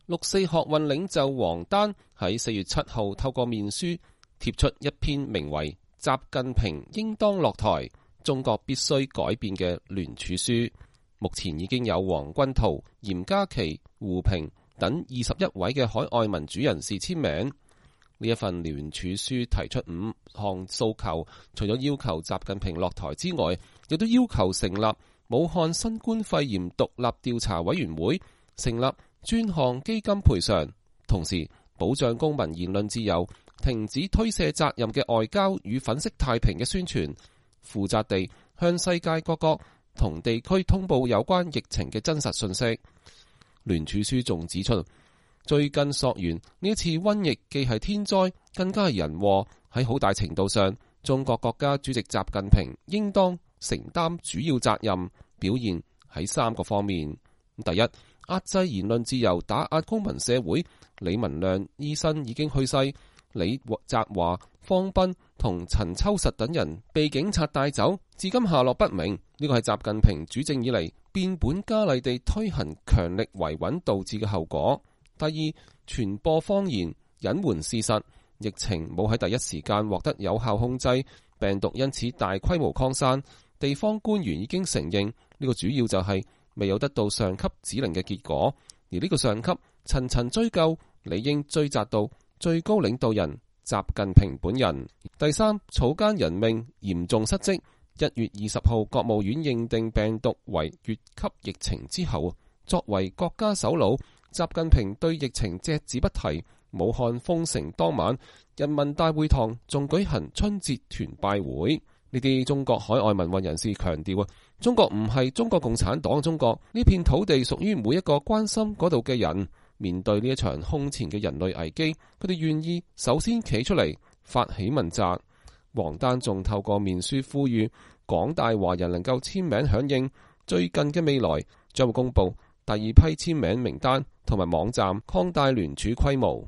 六四學運領袖王丹喺4月7號透過面書貼出一篇名為《習近平應當落台，中國必須改變》嘅聯署書。目前已經有黃君濤、嚴家琪、胡平等21位嘅海外民主人士簽名。呢一份聯署書提出5項訴求，除咗要求習近平落台之外，亦都要求成立武漢新冠肺炎獨立調查委員會，成立專項基金賠償，同時保障公民言論自由，停止推卸責任嘅外交與粉飾太平嘅宣傳，負責地向世界各國同地區通報有關疫情嘅真實信息。聯署書仲指出，追根溯源，呢一次瘟疫既係天災，更加係人禍。喺好大程度上，中國國家主席習近平應當承擔主要責任，表現喺3個方面。第一，壓制言論自由，打壓公民社會。李文亮醫生已經去世，李澤華、方斌同陳秋實等人被警察帶走，至今下落不明。呢個係習近平主政以嚟變本加厲地推行強力維穩導致嘅後果。第二，傳播謊言，隱瞞事實，疫情冇喺第一時間獲得有效控制，病毒因此大規模擴散。地方官員已經承認，呢個主要就係未有得到上級指令嘅結果，而呢個上級層層追究，理應追責到最高領導人習近平本人。第三，草菅人命，嚴重失職。1月20號，國務院認定病毒為乙級疫情之後，作為國家首腦，習近平對疫情隻字不提。武漢封城當晚，人民大會堂仲舉行春節團拜會。呢啲中國海外民運人士強調，中國唔係中國共產黨中國，呢片土地屬於每一個關心嗰度嘅人。面對呢一場空前嘅人類危機，佢哋願意首先企出嚟發起問責。王丹仲透過面書呼籲廣大華人能夠簽名響應，最近嘅未來將會公布第二批簽名名單同埋網站，擴大聯署規模。